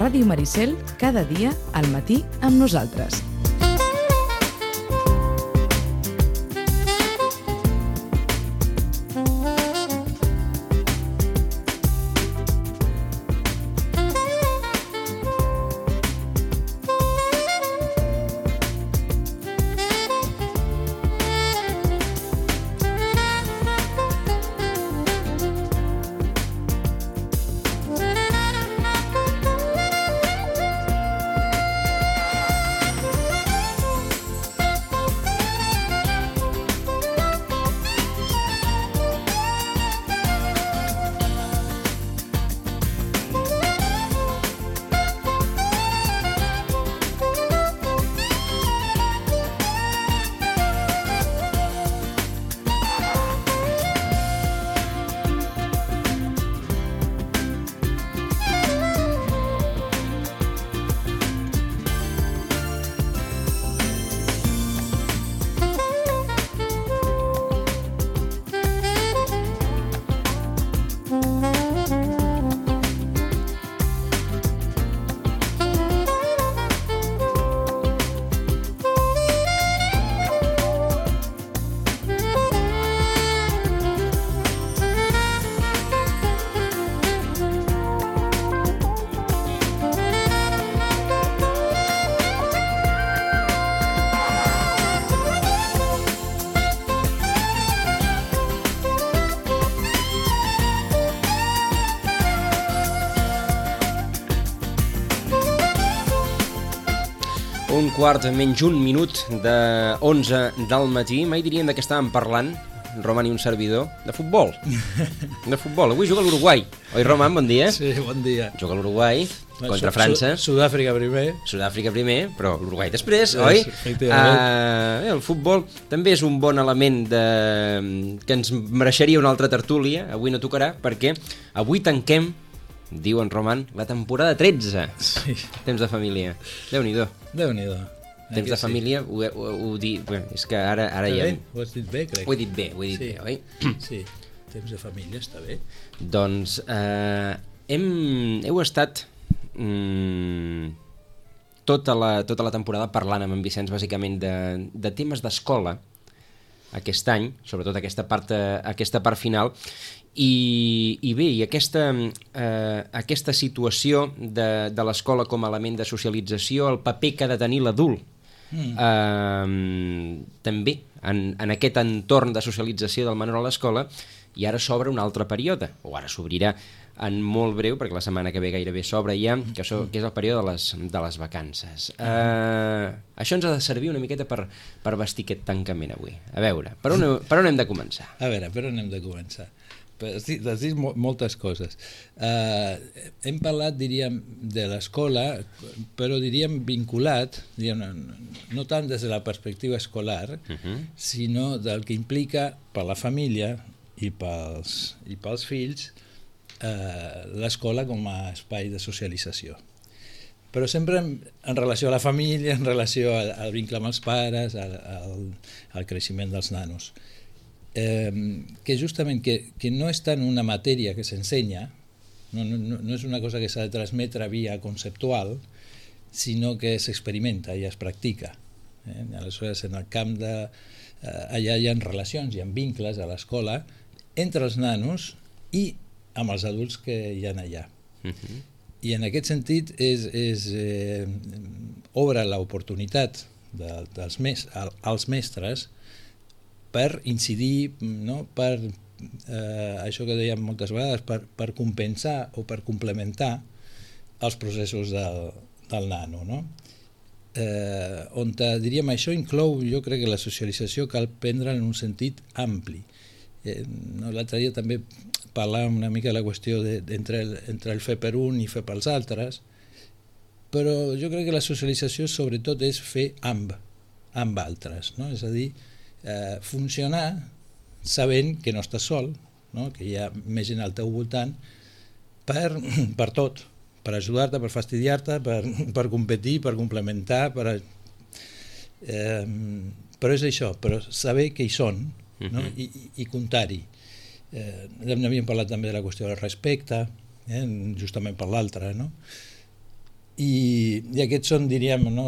Ràdio Maricel, cada dia al matí amb nosaltres. Un quart menys un minut de 11 del matí. Mai diríem de què estàvem parlant, Roman i un servidor, de futbol. De futbol. Avui juga l'Uruguai. Oi, Roman? Bon dia. Sí, bon dia. Juga l'Uruguai contra França. Sud-àfrica primer. Sud-àfrica primer, però l'Uruguai després, oi? El futbol també és un bon element que ens mereixeria una altra tertúlia. Avui no tocarà, perquè avui tanquem, diu en Roman, la temporada 13. Sí. Temps de família. Déu-n'hi-do. Déu-n'hi-do. Temps de família, ho dic... És que ara ja... Ho has dit bé, crec. Ho he dit bé, oi? Sí, temps de família està bé. Doncs heu estat tota la temporada parlant amb en Vicenç bàsicament de temes d'escola aquest any, sobretot aquesta part final, i bé, i aquesta situació de l'escola com a element de socialització, el paper que ha de tenir l'adult també en aquest entorn de socialització del menor a l'escola, i ara s'obre un altre període, o ara s'obrirà en molt breu, perquè la setmana que ve gairebé s'obre ja, que és el període de les vacances. Això ens ha de servir una miqueta per vestir aquest tancament avui. A veure, per on hem de començar? A veure, per on hem de començar? Has dit moltes coses. Hem parlat, diríem, de l'escola, però diríem vinculat, no tant des de la perspectiva escolar, sinó del que implica per la família i pels fills l'escola com a espai de socialització. Però sempre en relació a la família, en relació al vincle amb els pares, al creixement dels nanos. Que justament que no és tant una matèria que s'ensenya, no és una cosa que s'ha de transmetre via conceptual, sinó que s'experimenta i es practica. Aleshores, en el camp allà hi ha relacions, hi ha vincles a l'escola entre els nanos i amb els adults que hi ha allà. I en aquest sentit obre l'oportunitat als mestres per incidir, per això que dèiem moltes vegades, per compensar o per complementar els processos del nano. On diríem això inclou, jo crec que la socialització cal prendre en un sentit ampli. L'altre dia també parlàvem una mica de la qüestió entre el fer per un i fer pels altres, però jo crec que la socialització sobretot és fer amb altres, és a dir, funcionar sabent que no estàs sol, que hi ha més gent al teu voltant per tot, per ajudar-te, per fastidiar-te, per competir, per complementar, però és això, però saber que hi són i comptar-hi. N'havíem parlat també de la qüestió del respecte, justament per l'altre, I aquests són, diríem, no,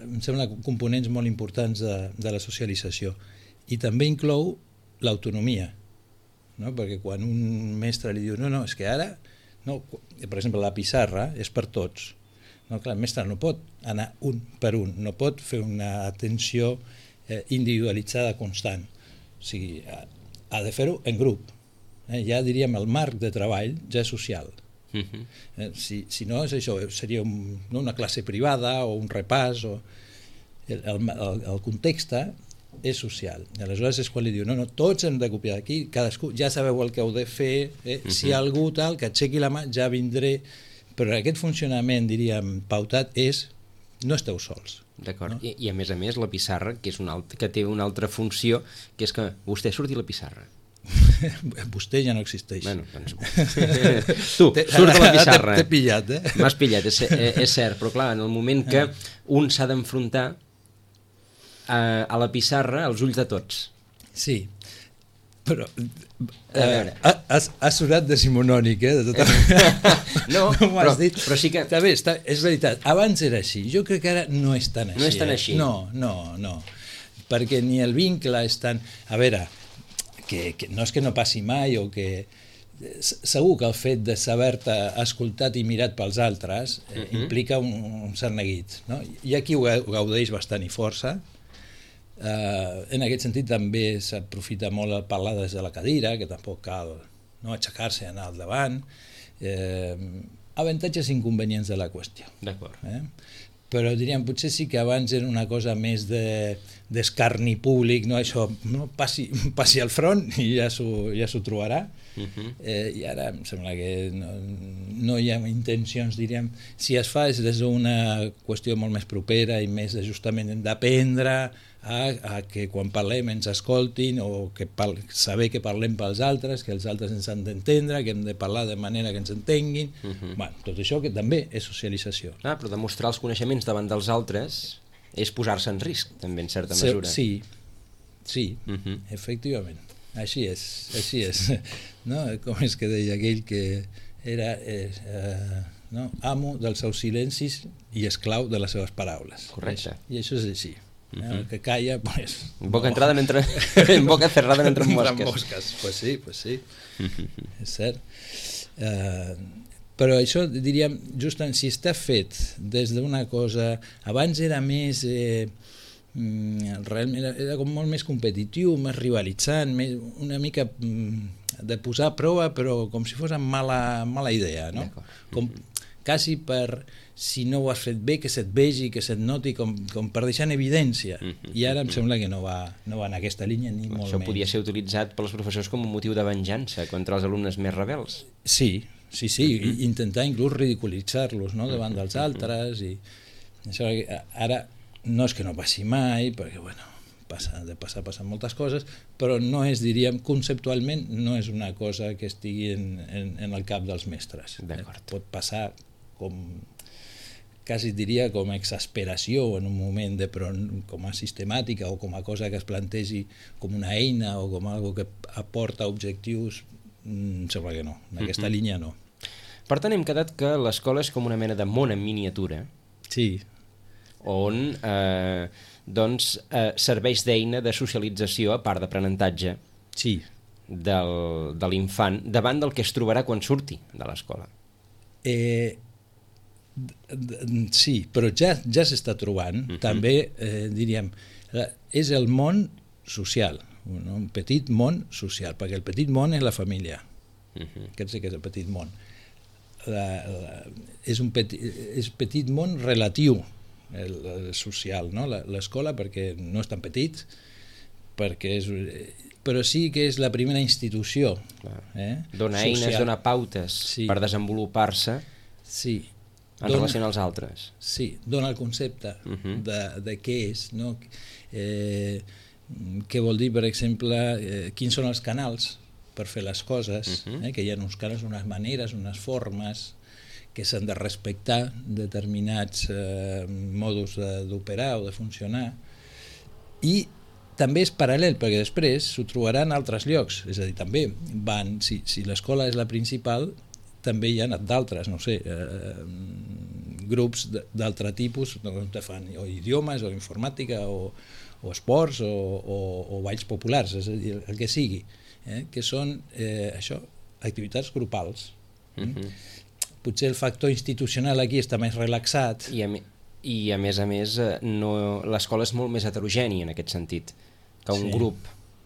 em sembla, components molt importants de la socialització. I també inclou l'autonomia, no? Perquè quan un mestre li diu no, és que ara, no, per exemple, la pissarra és per tots. No, clar, el mestre no pot anar un per un, no pot fer una atenció individualitzada constant. O sigui, ha de fer-ho en grup. Ja diríem, el marc de treball ja és social. Si no és això, seria una classe privada o un repàs, el context és social. I aleshores és quan li diu no, tots hem de copiar d'aquí, cadascú ja sabeu el que heu de fer, si hi ha algú tal que aixequi la mà ja vindré, però aquest funcionament, diríem, pautat és no esteu sols. D'acord, no? I a més la pissarra, que té una altra funció, que és que vostè surti a la pissarra. Vostè ja no existeix. Bueno, doncs... tu, surt de la pissarra. T'he pillat, M'has pillat, és cert, però clar, en el moment que un s'ha d'enfrontar a la pissarra, als ulls de tots. Sí, però ha sonat decimonònic, de tota manera. No, però sí que... Està bé, és veritat, abans era així, jo crec que ara no és tan així. No és tan així. No, perquè ni el vincle és tan... A veure, que no és que no passi mai o que... Segur que el fet de saber-te escoltat i mirat pels altres implica un cert neguit. No? Hi ha qui ho gaudeix bastant i força. En aquest sentit també s'aprofita molt el parlar des de la cadira, que tampoc cal aixecar-se i anar al davant. Avantatges i inconvenients de la qüestió. D'acord. Però diríem, potser sí que abans era una cosa més d'escarni públic, no? Això, no? Passi al front i ja s'ho trobarà. I ara em sembla que no hi ha intencions, diríem, si es fa és des d'una qüestió molt més propera i més justament d'aprendre a que quan parlem ens escoltin o que saber que parlem pels altres, que els altres ens han d'entendre, que hem de parlar de manera que ens entenguin. Bueno, tot això que també és socialització. Però demostrar els coneixements davant dels altres és posar-se en risc, també, en certa mesura. Sí, efectivament. Així és. No? Com és que deia aquell que era amo dels seus silencis i esclau de les seves paraules. Correcte. I això és així. El que calla, pues... En boca cerrada no entren mosques. Pues sí. És cert. Però això, diríem, justament, si està fet des d'una cosa... Abans era més... realment era com molt més competitiu, més rivalitzant, una mica de posar a prova, però com si fos amb mala idea, no? Com quasi per... si no ho has fet bé, que se't vegi, que se't noti, com per deixar en evidència. I ara em sembla que no va en aquesta línia, ni molt menys. Això podia ser utilitzat pels professors com un motiu de venjança contra els alumnes més rebels. Sí, intentar inclús ridiculitzar-los, no?, davant dels altres. I això ara no és que no passi mai, perquè, bueno, passen moltes coses, però no és, diríem, conceptualment, no és una cosa que estigui en el cap dels mestres. Pot passar quasi diria com a exasperació en un moment, però com a sistemàtica o com a cosa que es plantegi com una eina o com algo que aporta objectius, em sembla que no, en aquesta línia no. Per tant, hem quedat que l'escola és com una mena de món en miniatura, on serveix d'eina de socialització, a part d'aprenentatge de l'infant, davant del que es trobarà quan surti de l'escola. Sí, però ja s'està trobant, també, diríem, és el món social, un petit món social, perquè el petit món és la família, aquest sí que és el petit món. És petit món relatiu, el social, l'escola, perquè no és tan petit, però sí que és la primera institució. Dona eines, dona pautes per desenvolupar-se en relació als altres. Sí, dona el concepte de què és, què vol dir, per exemple, quins són els canals per fer les coses, que hi ha uns canals, unes maneres, unes formes, que s'han de respectar determinats modus d'operar o de funcionar, i també és paral·lel, perquè després s'ho trobarà en altres llocs, és a dir, també van, si l'escola és la principal, també hi ha d'altres, no sé, grups d'altre tipus, que fan o idiomes, o informàtica, o esports, o balls populars, és a dir, el que sigui, que són això, activitats grupals. Potser el factor institucional aquí està més relaxat. I a més l'escola és molt més heterogènia en aquest sentit que un grup.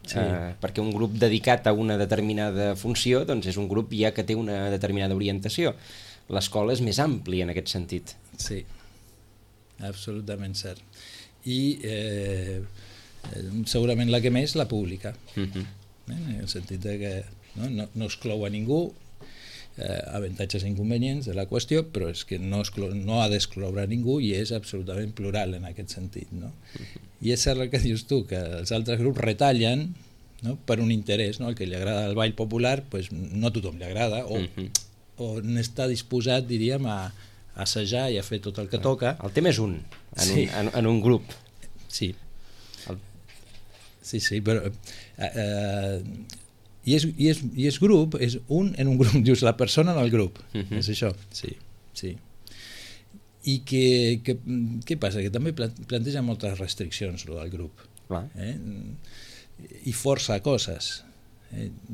Perquè un grup dedicat a una determinada funció doncs és un grup ja que té una determinada orientació. L'escola és més àmplia en aquest sentit. Sí, absolutament cert. I segurament la que més, la pública, en el sentit de que no exclou a ningú, avantatges i inconvenients de la qüestió, però és que no ha d'excloure a ningú i és absolutament plural en aquest sentit, no? I és cert el que dius tu, que els altres grups retallen, no? Per un interès, no? El que li agrada el ball popular pues, no a tothom li agrada o n'està disposat, diríem, a assajar i a fer tot el que toca. El tema és en un grup. Sí, però i és grup, és un en un grup, dius la persona en el grup, és això, sí. I què passa? Que també planteja moltes restriccions el grup, i força coses.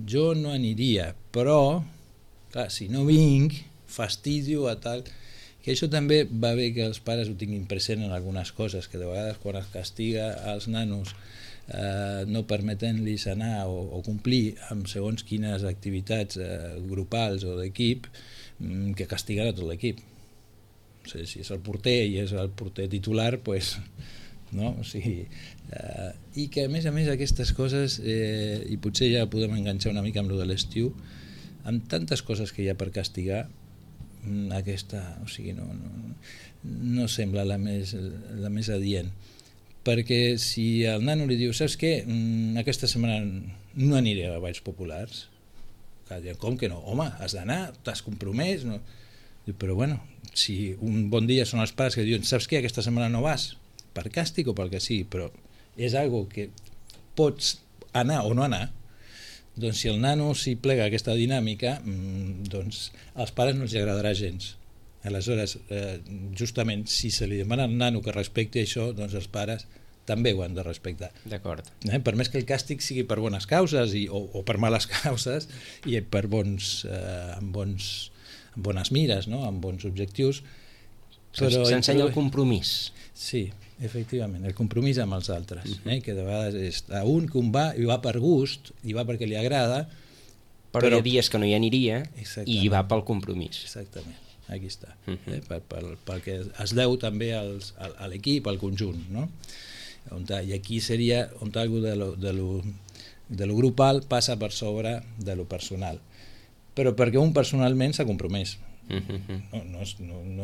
Jo no aniria, però clar, si no vinc fastidio a tal, que això també va bé que els pares ho tinguin present en algunes coses, que de vegades quan es castiga als nanos no permetent-los anar o complir amb segons quines activitats grupals o d'equip, que castiguen a tot l'equip. O sigui, si és el porter i és el porter titular, pues, no? O sigui, i que a més aquestes coses, i potser ja podem enganxar una mica amb lo de l'estiu, amb tantes coses que hi ha per castigar, aquesta, o sigui, no sembla la més adient. Perquè si el nano li diu, saps què, aquesta setmana no aniré a balls populars, com que no? Home, has d'anar, t'has compromès, no? Però bueno, si un bon dia són els pares que diuen, saps què, aquesta setmana no vas, per càstig o pel que sigui, però és algo que pots anar o no anar, doncs si el nano s'hi plega aquesta dinàmica, doncs als pares no els agradarà gens. Aleshores, justament, si se li demana al nano que respecti això, doncs els pares també ho han de respectar. D'acord. Per més que el càstig sigui per bones causes o per males causes i per amb bones mires, no? Amb bons objectius. S'ensenya el compromís. Sí, efectivament, el compromís amb els altres, que de vegades és a un que un va i va per gust i va perquè li agrada, però hi ha dies que no hi aniria i hi va pel compromís. Exactament, aquí està, pel que es deu també a l'equip, al conjunt, no? I aquí seria on algo de lo grupal passa per sobre de lo personal, però perquè un personalment s'ha compromès. No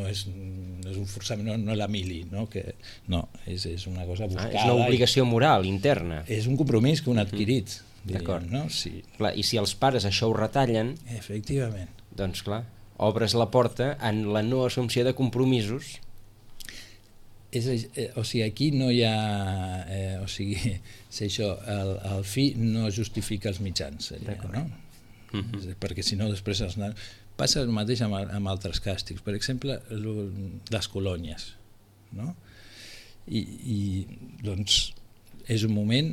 és un forçament, no la mili, és una cosa buscada. És una obligació moral interna. És un compromís que un ha adquirit, diríem, no? Sí. Clar, i si els pares això ho retallen, efectivament, doncs clar, obres la porta en la no assumpció de compromisos. O sigui, aquí no hi ha, o sigui, si això, el fi no justifica els mitjans, seria, no? Perquè si no després els nanos... Passa el mateix amb altres càstigs, per exemple, les colònies, no? I doncs és un moment,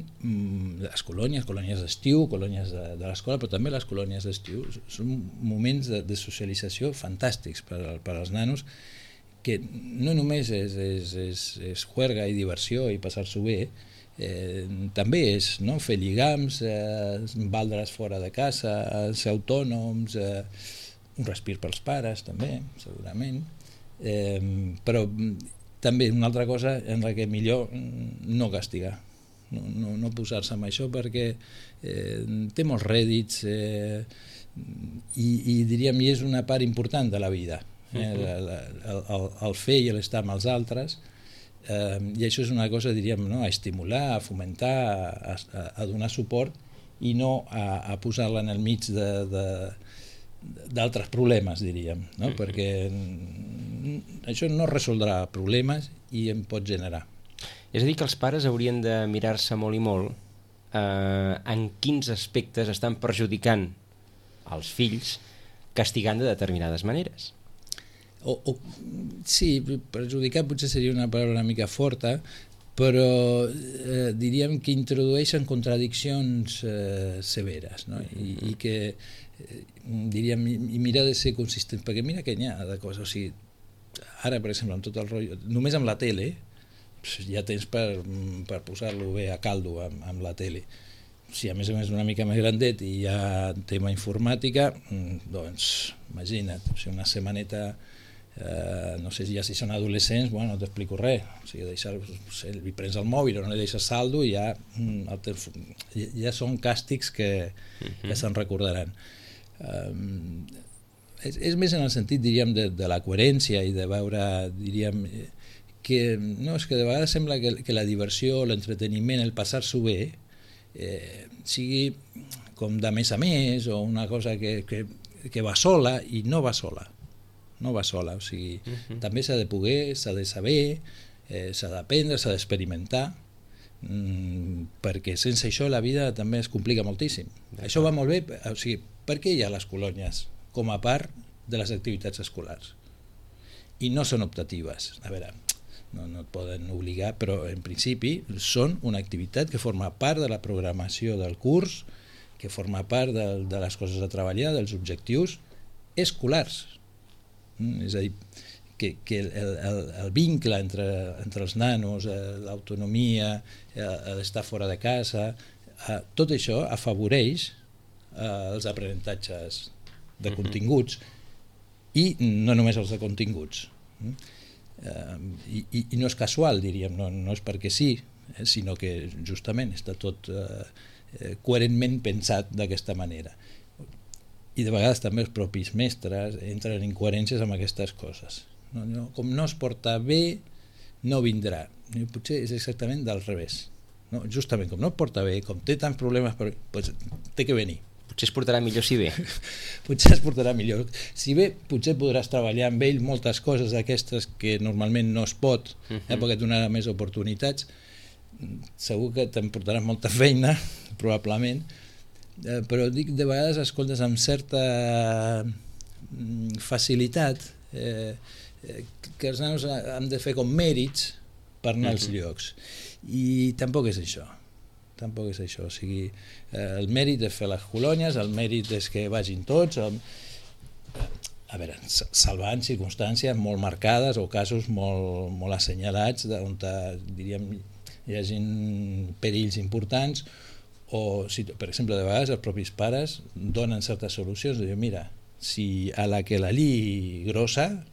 les colònies d'estiu, colònies de l'escola, però també les colònies d'estiu són moments de socialització fantàstics per als nanos, que no només és juerga i diversió i passar-s'ho bé, també és fer lligams, valdre's fora de casa, ser autònoms, un respir pels pares també, segurament, però també una altra cosa en la que millor no castigar, no posar-se amb això, perquè té molts rèdits i diríem, i és una part important de la vida, el fer i l'estar amb els altres, i això és una cosa, diríem, a estimular, a fomentar, a donar suport i no a posar-la en el mig d'altres problemes, diríem, perquè això no resoldrà problemes i en pot generar. És a dir, que els pares haurien de mirar-se molt i molt en quins aspectes estan perjudicant els fills castigant de determinades maneres. Sí, perjudicar potser seria una paraula una mica forta, però diríem que introdueixen contradiccions severes, no? I que diríem, i mirar de ser consistent, perquè mira que n'hi ha de coses, o sigui, ara per exemple amb tot el rotllo, només amb la tele ja tens per posar-lo bé a caldo amb la tele. Si a més una mica més grandet i hi ha tema informàtica, doncs imagina't, o sigui, una setmaneta, no sé si són adolescents, bueno, no t'explico res, o sigui, li prens el mòbil o no li deixes saldo i ja són càstigs que se'n recordaran. És més en el sentit, diríem, de la coherència i de veure, diríem, que no, és que de vegades sembla que la diversió, l'entreteniment, el passar-s'ho bé, sigui com de més a més o una cosa que va sola i no va sola. No va sola, o sigui, també s'ha de poder, s'ha de saber, s'ha d'aprendre, s'ha d'experimentar, perquè sense això la vida també es complica moltíssim. Això va molt bé, o sigui, per què hi ha les colònies com a part de les activitats escolars? I no són optatives, a veure, no et poden obligar, però en principi són una activitat que forma part de la programació del curs, que forma part de les coses a treballar, dels objectius escolars. És a dir, que el vincle entre els nanos, l'autonomia, l'estar fora de casa, tot això afavoreix els aprenentatges de continguts i no només els de continguts. I no és casual, diríem, no és perquè sí, sinó que justament està tot coherentment pensat d'aquesta manera. I de vegades també els propis mestres entren en incoherències amb aquestes coses. Com no es porta bé, no vindrà. Potser és exactament del revés. Justament com no es porta bé, com té tants problemes, doncs té que venir. Potser es portarà millor si ve. Potser es portarà millor. Si bé, potser podràs treballar amb ell moltes coses d'aquestes que normalment no es pot, perquè et donarà més oportunitats. Segur que te'n portaràs molta feina, probablement, però dic, de vegades escoltes amb certa facilitat que els nanos han de fer com mèrits per anar als llocs, i tampoc és això. O sigui, el mèrit és fer les colònies, el mèrit és que vagin tots, a veure, salvant circumstàncies molt marcades o casos molt assenyalats on diríem hi hagi perills importants, o, per exemple, de vegades els propis pares donen certes solucions, diuen, mira, si a la que la li grossa,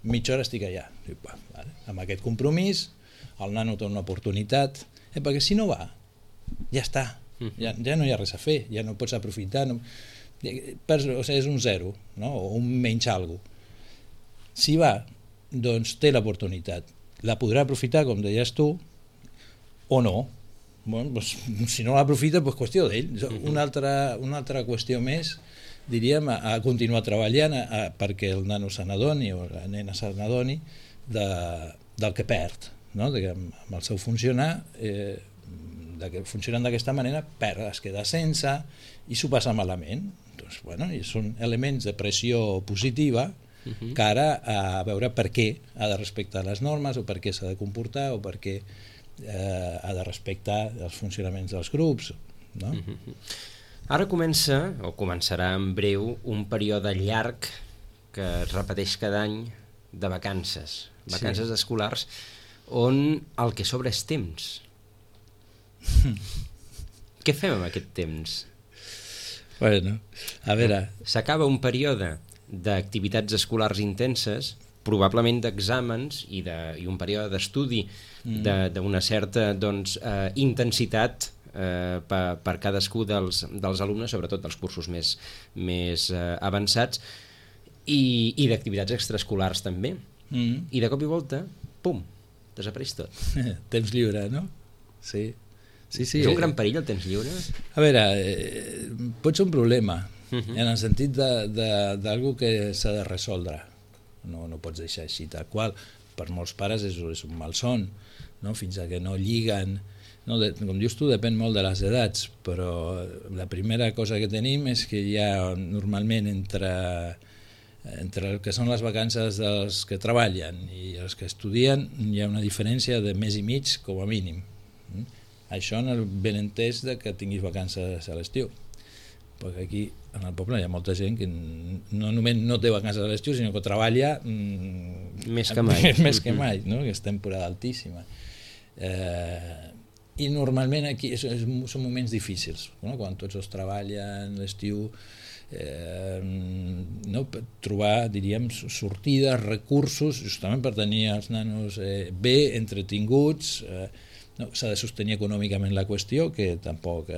mitja hora estic allà. Diu, vale. Amb aquest compromís, el nano té una oportunitat, perquè si no va, ja està, ja no hi ha res a fer, ja no pots aprofitar, o sigui, és un zero, no? O un menys algo. Si va, doncs té l'oportunitat, la podrà aprofitar, com deies tu, o no. Bueno, doncs, si no l'aprofita, doncs qüestió d'ell. Una altra qüestió més, diríem, a continuar treballant perquè el nano se n'adoni o la nena se n'adoni del que perd, no? Que amb el seu funcionar, funcionant d'aquesta manera, perd, es queda sense i s'ho passa malament. Doncs, bueno, són elements de pressió positiva cara a veure per què ha de respectar les normes o per què s'ha de comportar o per què ha de respectar els funcionaments dels grups, no? Ara començarà en breu un període llarg que es repeteix cada any de vacances escolars, on el que sobra és temps. Què fem amb aquest temps? Bueno, a veure... S'acaba un període d'activitats escolars intenses, probablement d'exàmens i un període d'estudi d'una certa intensitat per cadascú dels alumnes, sobretot dels cursos més avançats, i d'activitats extraescolars també. I de cop i volta, pum, desapareix tot. Temps lliure, no? Sí. És un gran perill el temps lliure? A veure, pot ser un problema, en el sentit d'algú que s'ha de resoldre. No pots deixar així tal qual. Per molts pares és un malson, no? Fins a que no lliguen, no? Com dius tu, depèn molt de les edats, però la primera cosa que tenim és que hi ha normalment entre entre el que són les vacances dels que treballen i els que estudien hi ha una diferència de mes i mig com a mínim. Això en el benentès de que tinguis vacances a l'estiu, perquè aquí en el poble hi ha molta gent que no només no té vacances a l'estiu sinó que treballa més que mai, no? Que és temporada altíssima. I normalment aquí són moments difícils, no? Quan tots els treballen l'estiu, no? Trobar, diríem, sortides, recursos justament per tenir els nanos bé entretinguts. No, s'ha de sostenir econòmicament la qüestió, que tampoc,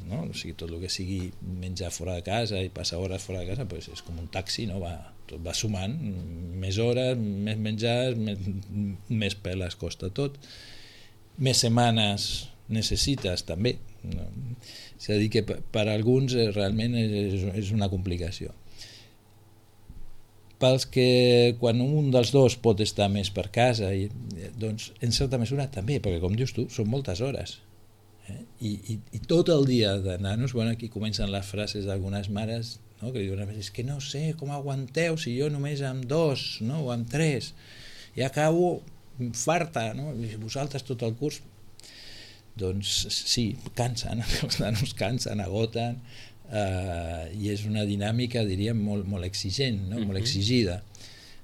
no? O sigui, tot el que sigui menjar fora de casa i passar hores fora de casa pues és com un taxi, no? Tot va sumant, més hores, més menjar, més peles costa tot, més setmanes necessites també, no? És a dir que per alguns realment és una complicació. Pels que quan un dels dos pot estar més per casa, doncs en certa mesura també, perquè com dius tu, són moltes hores. I tot el dia de nanos, bueno, aquí comencen les frases d'algunes mares, no? Que diuen, és que no sé com aguanteu si jo només amb 2, no? O amb 3, i acabo farta, no? I vosaltres tot el curs. Doncs sí, cansen, els nanos cansen, agoten, i és una dinàmica, diríem, molt exigent, no? Molt exigida.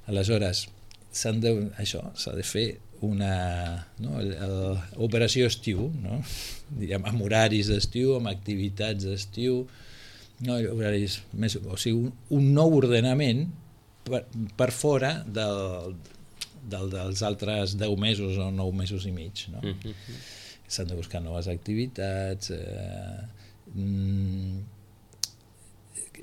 Aleshores, s'ha de fer una, no? Operació estiu, no? Diríem, amb horaris d'estiu, amb activitats d'estiu, no? Horaris més, o sigui, un nou ordenament per fora dels altres 10 mesos o 9 mesos i mig, no? S'han de buscar noves activitats,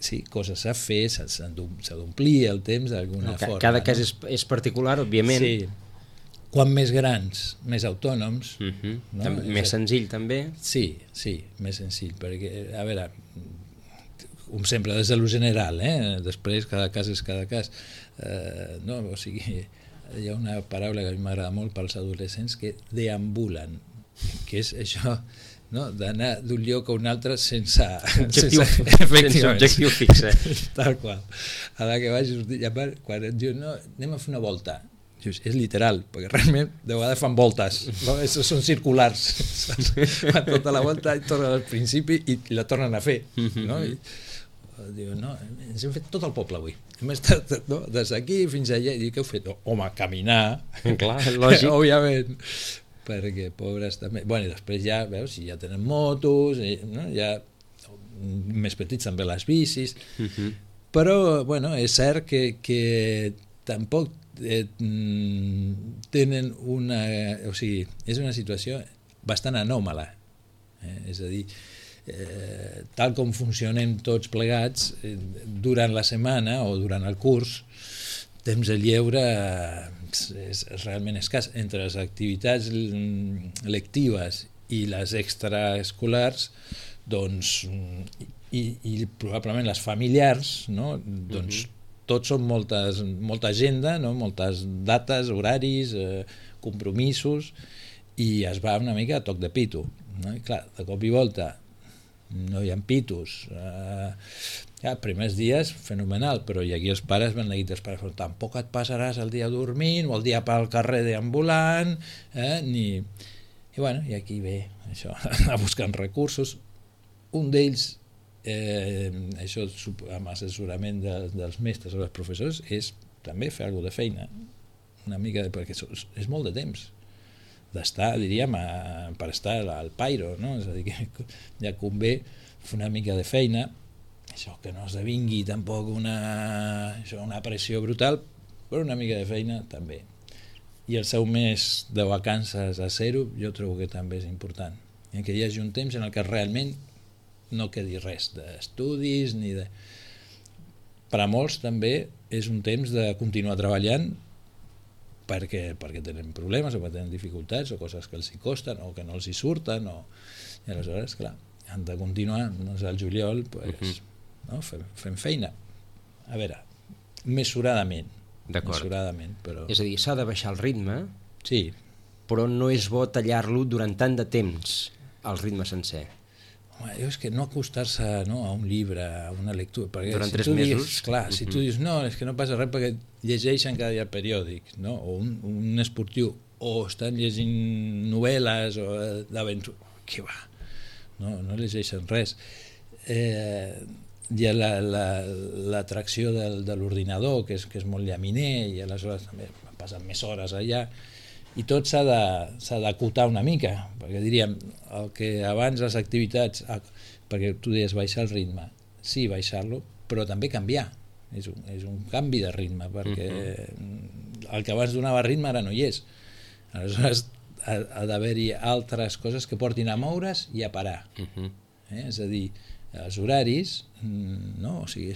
sí, coses a fer, s'ha d'omplir el temps d'alguna forma. Cada cas és particular, òbviament. Sí. Quan més grans, més autònoms. No? Més senzill, també. Sí, més senzill, perquè, a veure, com sempre, des de lo general, després cada cas és cada cas. No? O sigui, hi ha una paraula que a mi m'agrada molt pels adolescents, que deambulen, que és això, no? D'anar d'un lloc a un altre sense objectiu fix. Tal qual. A la que vaig sortir, quan et diuen, no, anem a fer una volta, dius, és literal, perquè realment de vegades fan voltes, no? Són circulars, fan tota la volta i tornen al principi i la tornen a fer, no? I diuen, no, ens hem fet tot el poble avui, hem estat, no? Des d'aquí fins allà, i dic, què heu fet? Home, caminar. Clar, lògic. Òbviament, perquè pobres també, bueno, i després ja veus, si ja tenen motos, no? Ja més petits també les bicis, però bueno, és cert que tampoc tenen una, o sigui, és una situació bastant anòmala, és a dir, tal com funcionem tots plegats durant la setmana o durant el curs, temps de lleure és realment escàs. Entre les activitats lectives i les extraescolars, doncs, i probablement les familiars, no? Doncs tots són molta agenda, no? Moltes dates, horaris, compromisos, i es va una mica a toc de pito, no? I clar, de cop i volta no hi ha pitos, primers dies fenomenal, però i aquí els pares van dir, tampoc et passaràs el dia dormint o el dia pel carrer deambulant, i bueno, i aquí ve això, anar buscant recursos. Un d'ells, això amb assessorament dels mestres o dels professors, és també fer alguna de feina, una mica, perquè és molt de temps d'estar, diríem, per estar al pairo, no? És a dir, que ja convé fer una mica de feina, això que no esdevingui tampoc una pressió brutal, però una mica de feina també. I el seu mes de vacances a zero jo trobo que també és important, que hi hagi un temps en el que realment no quedi res d'estudis ni de... Per a molts també és un temps de continuar treballant perquè tenen problemes o perquè tenen dificultats o coses que els hi costen o que no els hi surten, i aleshores, clar, han de continuar, doncs al juliol pues, no? Fem feina, a veure, mesuradament. Però... És a dir, s'ha de baixar el ritme, sí, però no és bo tallar-lo durant tant de temps, el ritme sencer. home, és que no acostar-se a un llibre, a una lectura, perquè durant 3 mesos, mesos. Clar, si tu dius, no, és que no passa res perquè llegeixen cada dia periòdics, no? O un esportiu, o estan llegint novel·les o d'aventura, què va? No llegeixen res. Hi ha l'atracció de l'ordinador, que és molt llaminer, i aleshores també passen més hores allà, i tot s'ha d'acotar una mica, perquè diríem, el que abans les activitats, perquè tu deies baixar el ritme, sí, baixar-lo, però també canviar, és un canvi de ritme, perquè el que abans donava ritme ara no hi és. Aleshores ha d'haver-hi altres coses que portin a moure's i a parar. És a dir, els horaris, no? O sigui,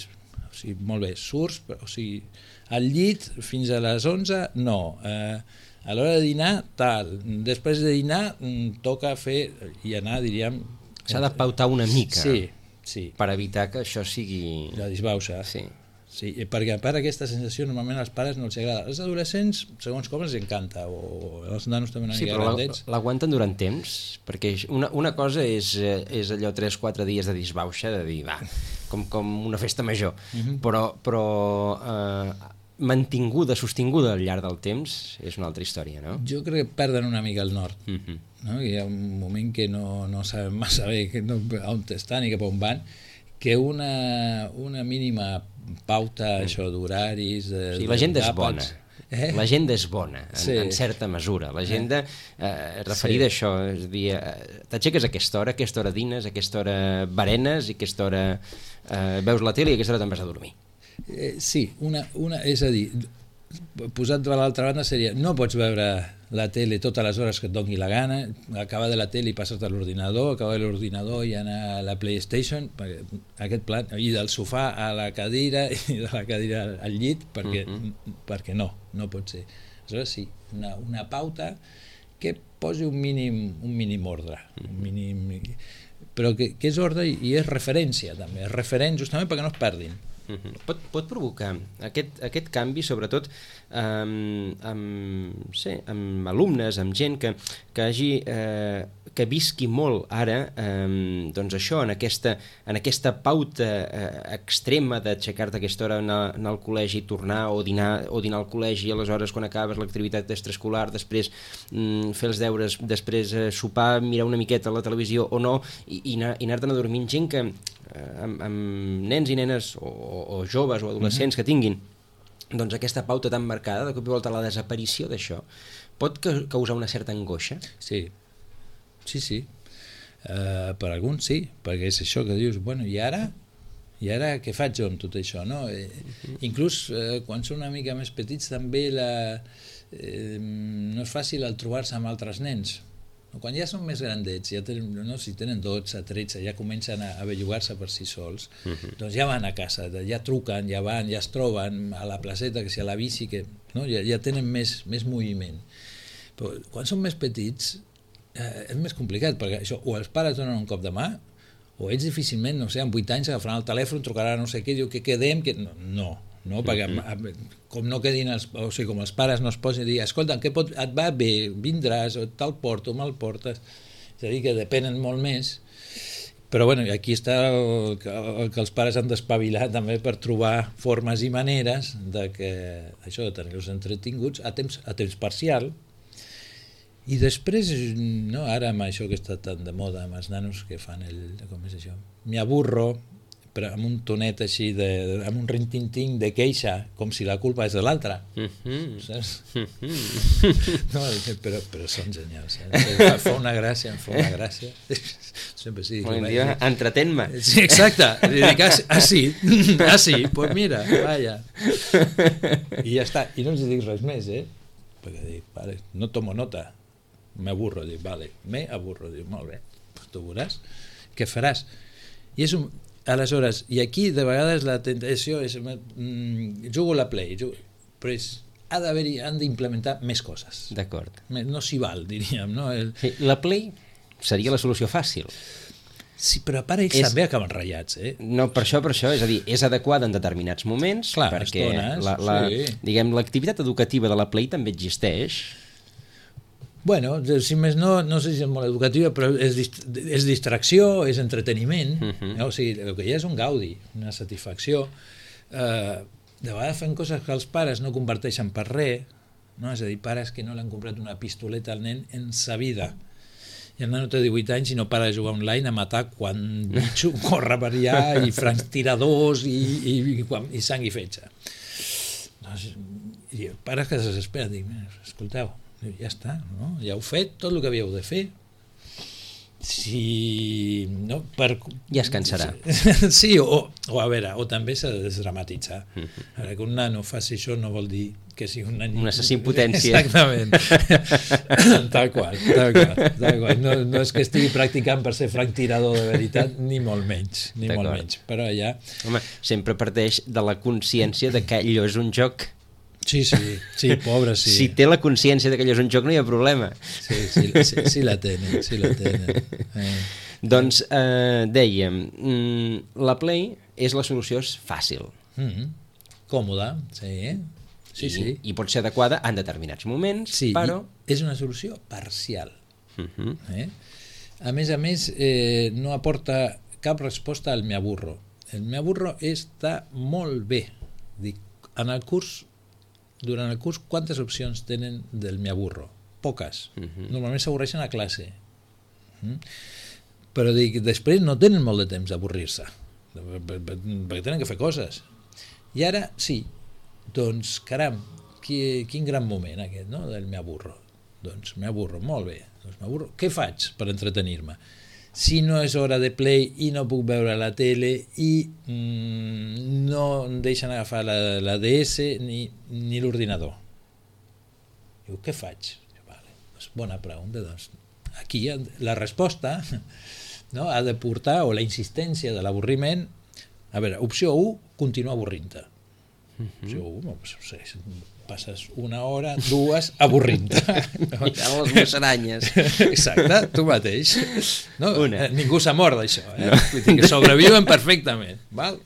molt bé, surts, o sigui, al llit fins a les 11, no. A l'hora de dinar, tal. Després de dinar, toca fer i anar, diríem... S'ha de pautar una mica. Sí. Per evitar que això sigui... La disbauxa. Sí, perquè a part aquesta sensació normalment als pares no els agrada. Els adolescents, segons com, els encanta, o els nanos també una mica grandets. Sí, però l'aguanten durant temps, perquè una cosa és allò 3-4 dies de disbauxa, de dir, va, com una festa major, però mantinguda, sostinguda al llarg del temps, és una altra història, no? Jo crec que perden una mica el nord. No? Hi ha un moment que no saben massa bé on estan i cap on van, que una mínima pauta, això d'horaris... Sí, l'agenda és bona. L'agenda és bona, en certa mesura. L'agenda referida a això, és a dir, t'aixeques a aquesta hora dines, a aquesta hora berenes, i a aquesta hora veus la tele i a aquesta hora te'n vas a dormir. Sí, és a dir, posat de l'altra banda seria, no pots veure la tele totes les hores que et doni la gana, acabar de la tele i passar-te a l'ordinador, acabar de l'ordinador i anar a la PlayStation, aquest plan, i del sofà a la cadira i de la cadira al llit, perquè no pot ser. Aleshores sí, una pauta que posi un mínim ordre, però que és ordre i és referència també, és referent justament perquè no es perdin. Pot provocar aquest canvi, sobretot amb alumnes, amb gent que visqui molt ara, doncs això, en aquesta pauta extrema d'aixecar-te a aquesta hora, anar al col·legi, tornar, o dinar al col·legi, aleshores quan acabes l'activitat extraescolar, després fer els deures, després sopar, mirar una miqueta la televisió o no, i anar-te'n a dormir. Gent que amb nens i nenes o joves o adolescents que tinguin doncs aquesta pauta tan marcada, de cop i volta la desaparició d'això pot causar una certa angoixa? Sí. Per alguns sí, perquè és això que dius, bueno, i ara què faig jo amb tot això, no? Inclús quan són una mica més petits també no és fàcil el trobar-se amb altres nens. Quan ja són més grandets, si tenen 12, 13, ja comencen a bellugar-se per si sols, doncs ja van a casa, ja truquen, ja van, ja es troben a la placeta, que si a la bici, ja tenen més moviment. Però quan són més petits és més complicat, perquè això, o els pares donen un cop de mà, o ells difícilment, no sé, amb 8 anys agafaran el telèfon, trucaran no sé què, diu que quedem, no, perquè com no quedin com els pares no es posin a dir, escolta, et va bé, vindràs, o te'l porto, me'l portes, és a dir, que depenen molt més, però bueno, aquí està el que els pares han d'espavilar també per trobar formes i maneres de tenir-los entretinguts a temps parcial. I després, ara amb això que està tan de moda amb els nanos que fan com és això, m'aburro, però amb un tonet així, amb un rintinting de queixa, com si la culpa és de l'altre. Saps? No, però són genials. Fa una gràcia. Sempre sí. Entretén-me. Sí, exacte. Dic, sí, pues mira, vaya. I ja està. I no els dic res més, perquè dic, vale, no tomo nota. M'aburro, dic, vale, dic, molt bé, pues tu veuràs, què faràs? I és aleshores, i aquí de vegades la tentació és, jugo a la Play, però han d'implementar més coses. D'acord. No s'hi val, diríem, no? La Play seria la solució fàcil. Sí, però a part ells també acaben ratllats, No, per això, és a dir, és adequada en determinats moments, clar, perquè l'activitat educativa de la Play també existeix. Bueno, si més no, no sé si és molt educativa, però és distracció, és entreteniment, o sigui, el que hi ha és un gaudi, una satisfacció. De vegades fem coses que els pares no converteixen per res, no? És a dir, pares que no l'han comprat una pistoleta al nen en sa vida. I el nen té 18 anys i no para de jugar online a matar quan bitxo corre per allà i francs-tiradors i sang i fetge. Doncs, i pares que se desesperen, dic, escolteu, ja està, no? Ja heu fet tot el que havíeu de fer. Si no, ja es cansarà. Sí, o a veure, o també s'ha de desdramatitzar. A veure, que un nano faci això no vol dir que sigui un assassí en potència. Exactament. Tal qual. No és que estigui practicant per ser franctirador de veritat, ni molt menys. Però allà... Home, sempre parteix de la consciència de que allò és un joc. Sí, pobre, sí. Si té la consciència que allò és un joc no hi ha problema. Sí la tenen. Doncs dèiem, la Play és la solució fàcil. Còmoda, sí. I pot ser adequada en determinats moments, però... És una solució parcial. A més, no aporta cap resposta al me aburro. El me aburro està molt bé. Dic, durant el curs, quantes opcions tenen del me aburro? Poques. Normalment s'avorreixen a classe. Però dic, després no tenen molt de temps d'avorrir-se, perquè tenen que fer coses. I ara, sí, doncs, caram, quin gran moment aquest, no?, del me aburro. Doncs me aburro, molt bé. Doncs m'aburro. Què faig per entretenir-me? Si no és hora de Play i no puc veure la tele i no em deixen agafar la DS ni l'ordinador. Diu, què faig? Vale, doncs bona pregunta. Doncs aquí la resposta, no, ha de portar, o la insistència de l'avorriment. A veure, opció 1, continuar avorrint-te. Opció 1, passes una hora, 2, avorrint-te. Mirant les musaranyes. Exacte, tu mateix. No, ningú s'ha mort d'això. Vull dir que sobreviuen perfectament. Val?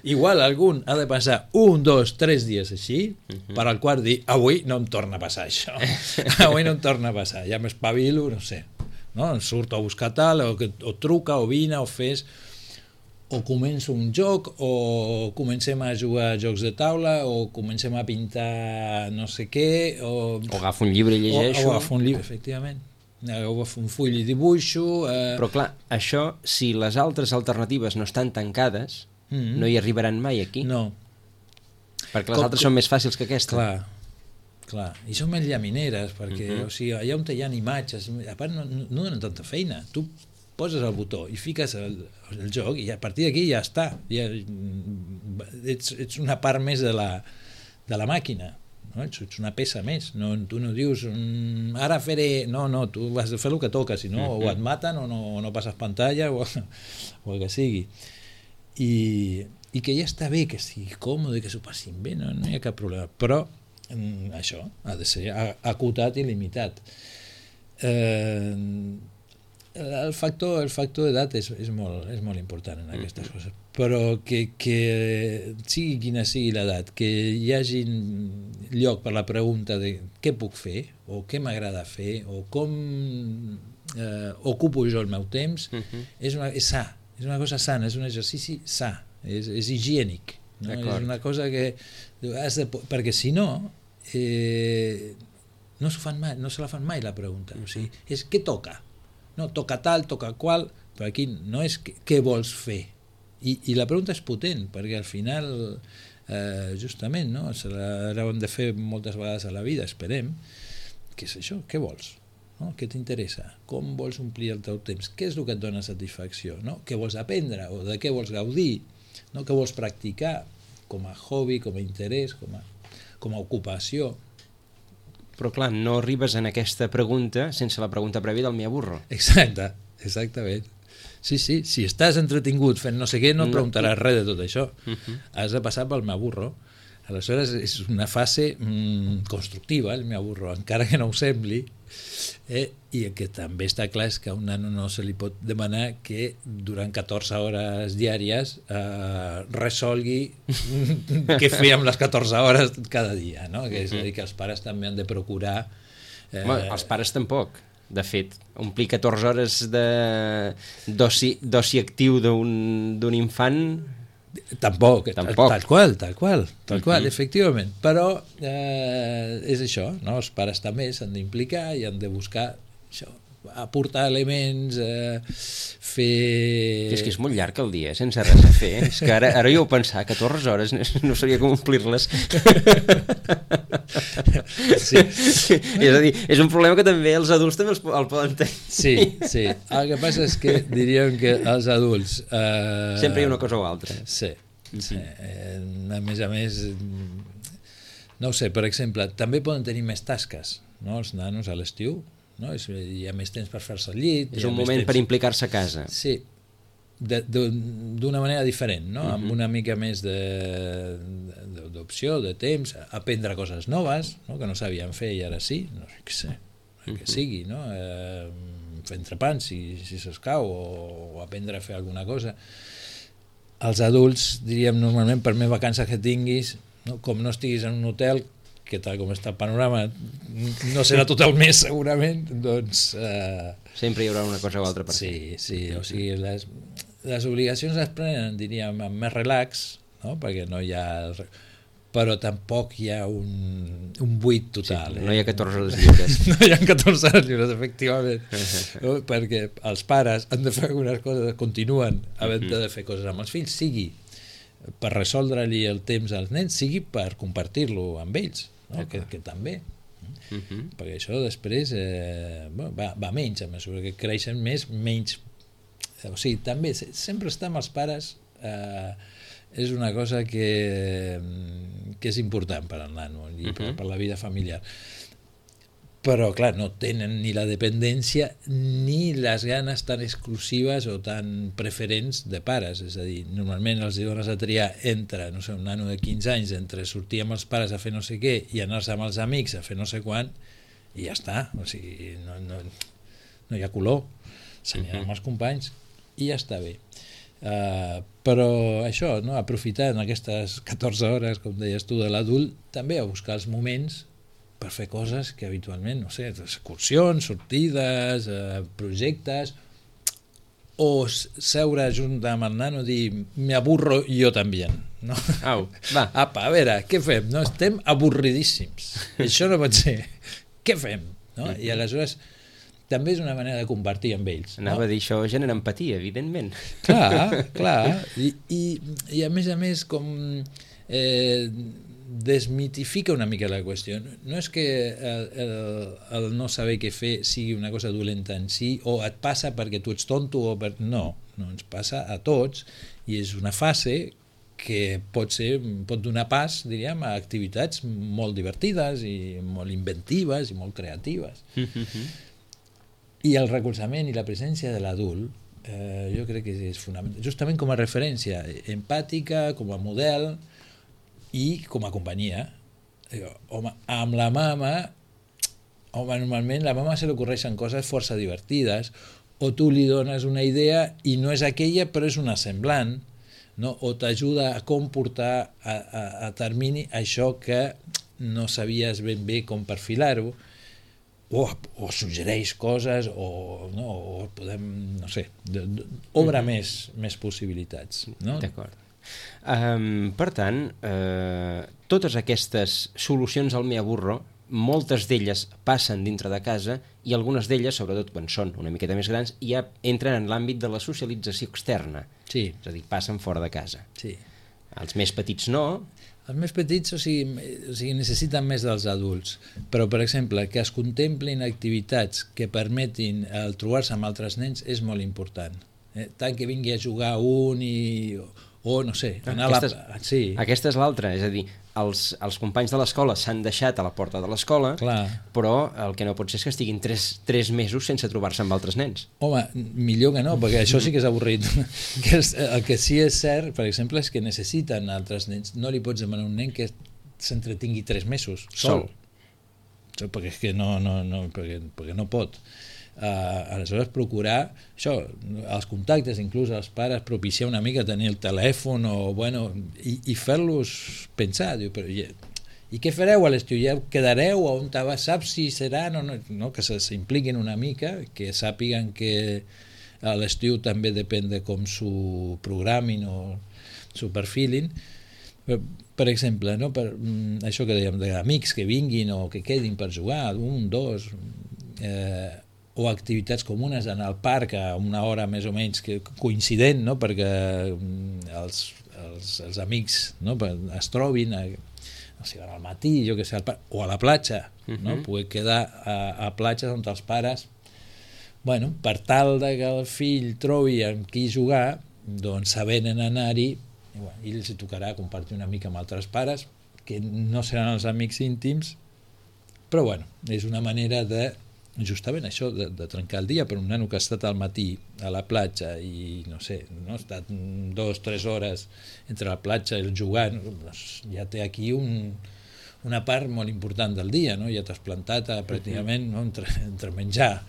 Igual algun ha de passar 1, 2, 3 dies així, per al qual dir, avui no em torna a passar això. Avui no em torna a passar. Ja m'espavilo, no sé. No? Em surto a buscar tal, o truca, o vine, o fes... o començo un joc, o comencem a jugar a jocs de taula, o comencem a pintar no sé què, o agafo un llibre i llegeixo. O agafo un llibre, efectivament. O agafo un full i dibuixo. Però clar, això, si les altres alternatives no estan tancades, no hi arribaran mai aquí. No. Perquè les altres són més fàcils que aquesta. Clar. I són més llamineres, perquè o sigui, allà on hi ha imatges, a part no donen tanta feina. Tu poses el botó i fiques el joc i a partir d'aquí ja està. Ets una part més de la màquina, no? Ets una peça més. No, tu no dius, ara faré... No, tu has de fer el que toca, si no, o et maten o no passes pantalla o el que sigui. I que ja està bé, que sigui còmode, que s'ho passin bé, no hi ha cap problema. Però això ha de ser acotat i limitat. El factor d'edat és molt important en aquestes coses, però que sigui quina sigui l'edat, que hi hagi lloc per la pregunta de què puc fer, o què m'agrada fer, o com ocupo jo el meu temps, és sa, és una cosa sana, és un exercici sa, és higiènic, no? És una cosa que has de, perquè si no no se la fan mai la pregunta, o sigui, és què toca? No, toca tal, toca qual, però aquí no és què vols fer. I la pregunta és potent, perquè al final, justament, no? Se l'haurem de fer moltes vegades a la vida, esperem. Què és això? Què vols? No? Què t'interessa? Com vols omplir el teu temps? Què és el que et dona satisfacció? No? Què vols aprendre? O de què vols gaudir? No? Què vols practicar? Com a hobby, com a interès, com a ocupació. Però clar, no arribes en aquesta pregunta sense la pregunta prèvia del me aburro. Exactament. Sí, si estàs entretingut fent no sé què, no preguntaràs res de tot això. Has de passar pel me aburro. Aleshores és una fase constructiva, el me aburro, encara que no ho sembli, i el que també està clar és que a un nano no se li pot demanar que durant 14 hores diàries resolgui què fer amb les 14 hores cada dia, no? És a dir, que els pares també han de procurar Els pares tampoc. De fet, omplir 14 hores d'oci actiu d'un infant... Tampoc. Tal qual, efectivament. Però és això, no? Els pares també s'han d'implicar i han de buscar això, aportar elements, fer... És que és molt llarg el dia, sense res a fer. És que ara jo ho pensava, 14 hores, no sabia com omplir-les. Sí. És a dir, és un problema que també els adults també el poden tenir. Sí. El que passa és que diríem que els adults... Sempre hi ha una cosa o altra. Sí. A més, no ho sé, per exemple, també poden tenir més tasques, no? Els nanos a l'estiu, no? Hi ha més temps per fer-se al llit. És un moment per implicar-se a casa. Sí, d'una manera diferent, no? Amb una mica més d'opció, de temps, aprendre coses noves, no? Que no sabien fer i ara sí, no sé què sé, que sigui, no? Fer entrepans si s'escau, o aprendre a fer alguna cosa. Els adults, diríem normalment, per més vacances que tinguis, no? Com no estiguis en un hotel, que tal com està el panorama no serà tot el mes segurament, doncs... Sempre hi haurà una cosa o altra per fer. Sí, o sigui, les obligacions es prenen, diríem, amb més relax, no? Perquè no hi ha... Però tampoc hi ha un buit total. Sí, no hi ha 14 hores lliures. No hi ha 14 hores lliures, efectivament. Perquè els pares han de fer algunes coses, continuen havent de fer coses amb els fills, sigui per resoldre-li el temps als nens, sigui per compartir-lo amb ells, no? Que també. Perquè això després va menys, a mesura que creixen menys. O sigui, també sempre estar amb els pares és una cosa que és important per al nano i per la vida familiar. Però, clar, no tenen ni la dependència ni les ganes tan exclusives o tan preferents de pares. És a dir, normalment els dones a triar entre, no sé, un nano de 15 anys, entre sortir amb els pares a fer no sé què i anar-se amb els amics a fer no sé quant, i ja està. O sigui, no hi ha color. S'anirà amb els companys i ja està bé. Però això, no? Aprofitar en aquestes 14 hores, com deies tu, de l'adult, també a buscar els moments per fer coses que habitualment, no sé, excursions, sortides, projectes, o seure junt amb el nano i dir, me aburro yo también, no? Au, va. Apa, a veure, què fem? No, estem avorridíssims. Això no pot ser. Què fem? No? I aleshores també és una manera de compartir amb ells. Anava a dir, això genera empatia, evidentment. Clar. I a més, com... desmitifica una mica la qüestió. No és que el no saber què fer sigui una cosa dolenta en si, o et passa perquè tu ets tonto, no, ens passa a tots, i és una fase que pot donar pas, diríem, a activitats molt divertides i molt inventives i molt creatives. I el recolzament i la presència de l'adult jo crec que és fonamental, justament com a referència empàtica, com a model i com a companyia. Home, amb la mama, normalment la mama se li ocorreixen coses força divertides, o tu li dones una idea i no és aquella però és una semblant, no? O t'ajuda a com portar a termini això que no sabies ben bé com perfilar-ho, o suggereix coses, o podem, no sé, obre més possibilitats, no? D'acord. Per tant, totes aquestes solucions al me aburro, moltes d'elles passen dintre de casa i algunes d'elles, sobretot quan són una miqueta més grans, ja entren en l'àmbit de la socialització externa. Sí. És a dir, passen fora de casa. Sí. Els més petits no. Els més petits, o sigui, necessiten més dels adults, però, per exemple, que es contemplin activitats que permetin el trobar-se amb altres nens és molt important. Tant que vingui a jugar un o no sé, sí. Aquesta és l'altra, és a dir, els companys de l'escola s'han deixat a la porta de l'escola, però el que no pot ser és que estiguin 3 mesos sense trobar-se amb altres nens. Home, millor que no, perquè això sí que és avorrit. El que sí és cert, per exemple, és que necessiten altres nens. No li pots demanar a un nen que s'entretingui 3 mesos sol. Perquè és que perquè no pot. Aleshores procurar això, els contactes, inclús els pares, propiciar una mica tenir el telèfon i fer-los pensar, diu, però I què fareu a l'estiu? Ja quedareu on saps si seran o no, que s'impliquin una mica, que sàpiguen que a l'estiu també depèn de com s'ho programin o s'ho perfilin. Per exemple, no? Això que dèiem, d'amics que vinguin o que quedin per jugar, 1, 2, o activitats comunes, anar al parc a una hora més o menys coincident, no? Perquè els amics, no? Es trobin si van al matí, jo que sé, al parc, o a la platja, no? Poder quedar a platges on els pares, bueno, per tal que el fill trobi amb qui jugar, doncs sabent anar-hi, i els tocarà compartir una mica amb altres pares, que no seran els amics íntims, però bueno, és una manera de justament això, de trencar el dia per un nano que ha estat al matí a la platja i no sé, no? Ha estat 2-3 hores entre la platja i el jugant, doncs ja té aquí una part molt important del dia, no? Ja t'has plantat pràcticament, no? entre menjar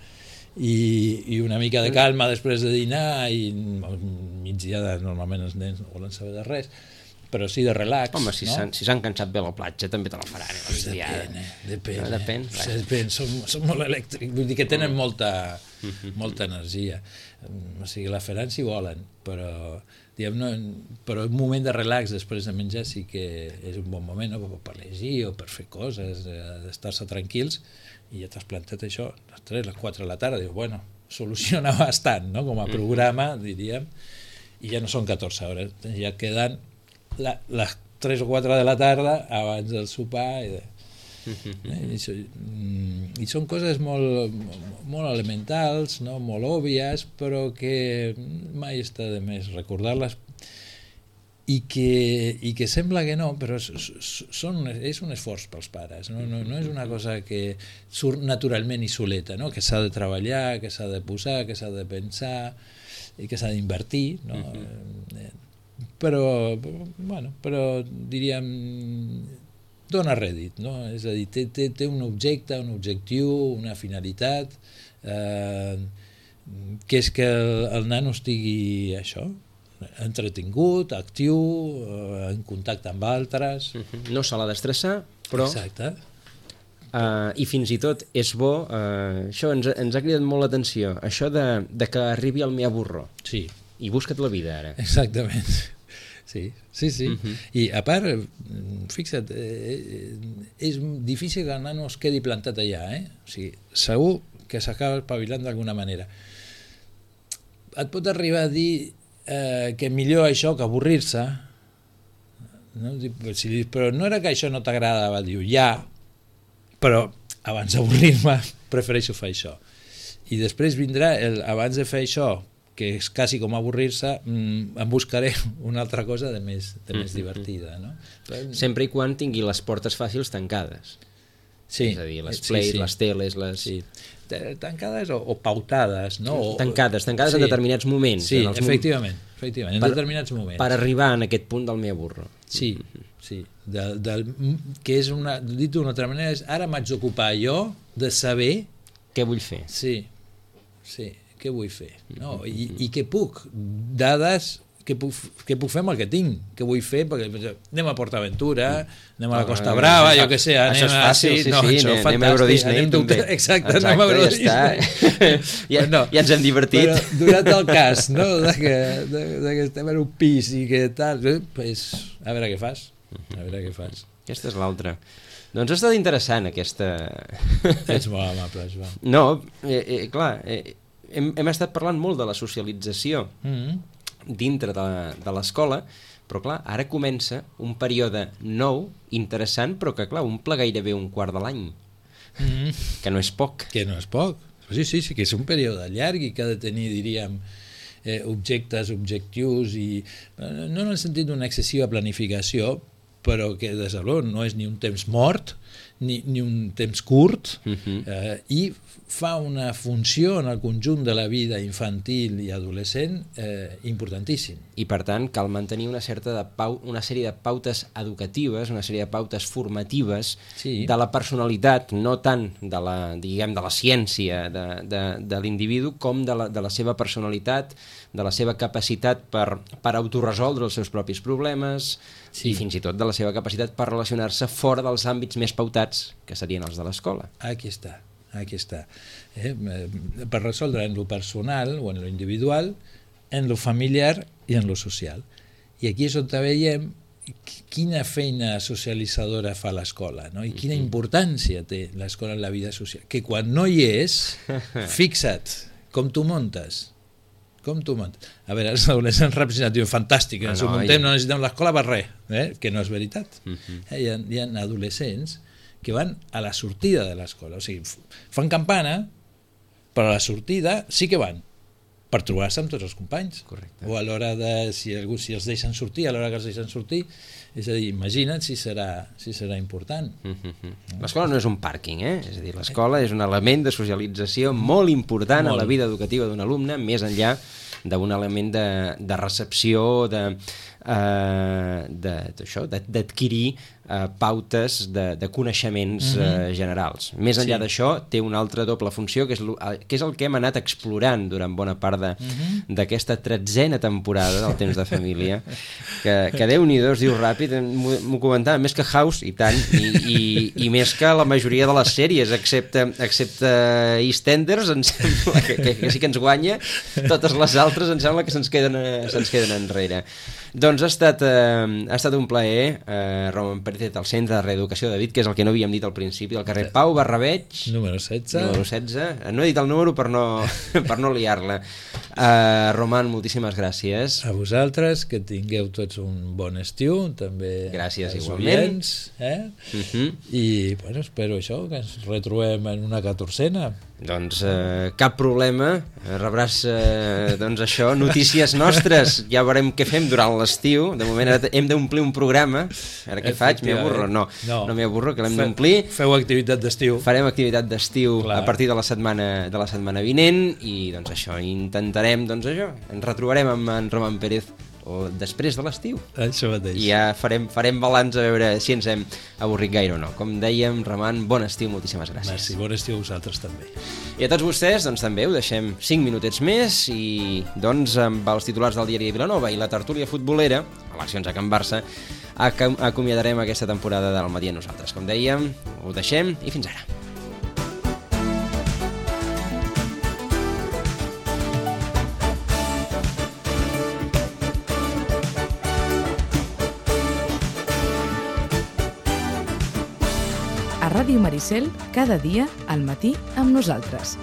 i una mica de calma després de dinar i migdiada normalment els nens no volen saber de res, però sí de relax. Home, si s'han cansat bé a la platja també te la faran. Depèn. Són molt elèctrics, vull dir que tenen molta energia, o sigui, la faran si volen, però un moment de relax després de menjar sí que és un bon moment, no? Per llegir o per fer coses, d'estar-se tranquils, i ja t'has plantat això a les 3, les 4 de la tarda, dius, bueno, soluciona bastant, no? Com a programa, diríem, i ja no són 14 hores, ja et queden les 3 o 4 de la tarda abans del sopar i són coses molt elementals, no? Molt òbvies, però que mai està de més recordar-les i que sembla que no, però és un esforç pels pares, no és una cosa que surt naturalment i soleta, no? Que s'ha de treballar, que s'ha de posar, que s'ha de pensar i que s'ha d'invertir, no? Però diríem dona rèdit, no? És a dir, té un objecte, un objectiu, una finalitat, que és que el nano estigui això, entretingut, actiu, en contacte amb altres. No se l'ha d'estressar, però... Exacte. I fins i tot és bo, això ens ha cridat molt l'atenció, això de que arribi al mea burro. Sí. I busca't la vida, ara. Exactament. Sí. I a part, fixa't, és difícil que el nano es quedi plantat allà, o sigui, segur que s'acaba espavilant d'alguna manera. Et pot arribar a dir que millor això que avorrir-se, no? Però no era que això no t'agradava, diu, ja, però abans d'avorrir-me prefereixo fer això. I després vindrà abans de fer això, que és quasi com avorrir-se, em buscaré una altra cosa de més divertida, no? Sempre i quan tingui les portes fàcils tancades. Sí. És a dir, les plays, les teles, Sí. Tancades o pautades, no? Tancades en determinats moments. Sí, efectivament, en determinats moments. Per arribar en aquest punt del mea burro. Sí. Que és dit d'una altra manera, ara m'haig d'ocupar jo de saber... Què vull fer? Sí, què vull fer, no? I què puc, dades, què puc fer amb el que tinc, què vull fer, perquè anem a PortAventura, anem a la Costa Brava, jo què sé, això és fàcil, anem a Euro Disney també. Exacte, anem a Euro Disney. Ja ens hem divertit. Però durant el cas, no?, que estem en un pis i que tal, pues, a veure què fas. Aquesta és l'altra. Doncs ha estat interessant, aquesta... Ets molt amable, Joan. No, clar, hem estat parlant molt de la socialització dintre de l'escola, però clar, ara comença un període nou, interessant, però que clar, omple gairebé un quart de l'any, que no és poc. Que no és poc, sí, que és un període llarg i que ha de tenir, diríem, objectes, objectius, i no en el sentit d'una excessiva planificació, però que des de l'on no és ni un temps mort ni un temps curt, i fa una funció en el conjunt de la vida infantil i adolescent importantíssim. I per tant cal mantenir una sèrie de pautes educatives, una sèrie de pautes formatives de la personalitat, no tant de la ciència de l'individu com de la seva personalitat, de la seva capacitat per autoresoldre els seus propis problemes, i fins i tot de la seva capacitat per relacionar-se fora dels àmbits més pautats, que serien els de l'escola. Aquí està. Per resoldre en lo personal o en lo individual, en lo familiar i en lo social. I aquí és on veiem quina feina socialitzadora fa l'escola, no? I quina importància té l'escola en la vida social. Que quan no hi és, fixa't, com tu muntes. A veure, els adolescents representatius, fantàstic, ens ho muntem, no necessitem l'escola per res, que no és veritat. Hi ha adolescents que van a la sortida de l'escola, o sigui, fan campana, però a la sortida sí que van, per trobar-se amb tots els companys. Correcte. O a l'hora de, si els deixen sortir, a l'hora que els deixen sortir, és a dir, imagina't si serà important. L'escola no és un pàrquing, és a dir, l'escola és un element de socialització molt important a la vida educativa d'un alumne, més enllà d'un element de recepció, d'adquirir pautes de coneixements generals. Més enllà d'això, té una altra doble funció, que és el que hem anat explorant durant bona part d'aquesta 13a temporada del Temps de Família, que Déu-n'hi-do, es diu ràpid, m'ho comentava, més que House, i tant, i més que la majoria de les sèries, excepte EastEnders, em sembla que sí que ens guanya, totes les altres em sembla que se'ns queden enrere. Doncs ha estat un plaer, Roman Pérez, al Centre de Reeducació de David, que és el que no havíem dit al principi, al carrer Pau Barrabeig, número 16. No he dit el número per no liar-la. Roman, moltíssimes gràcies. A vosaltres, que tingueu tots un bon estiu, també. Gràcies, igualment. I bueno, espero això, que ens retrobem en una 14a. Doncs cap problema, rebràs doncs això, notícies nostres, ja veurem què fem durant l'estiu. De moment hem d'omplir un programa. Ara què faig? M'hi avorro? No m'hi avorro, que l'hem d'omplir. Feu activitat d'estiu. Farem activitat d'estiu a partir de la setmana vinent i doncs això, intentarem, doncs això, ens retrobarem amb en Roman Pérez o després de l'estiu. Això mateix. I ja farem balanç a veure si ens hem avorrit gaire o no. Com dèiem, Roman, bon estiu, moltíssimes gràcies. Merci, bon estiu a vosaltres també. I a tots vostès, doncs també ho deixem 5 minutets més i doncs amb els titulars del Diari de Vilanova i la tertúlia futbolera, eleccions a Can Barça, acomiadarem aquesta temporada del Matí a nosaltres. Com dèiem, ho deixem i fins ara. A Ràdio Maricel, cada dia al matí amb nosaltres.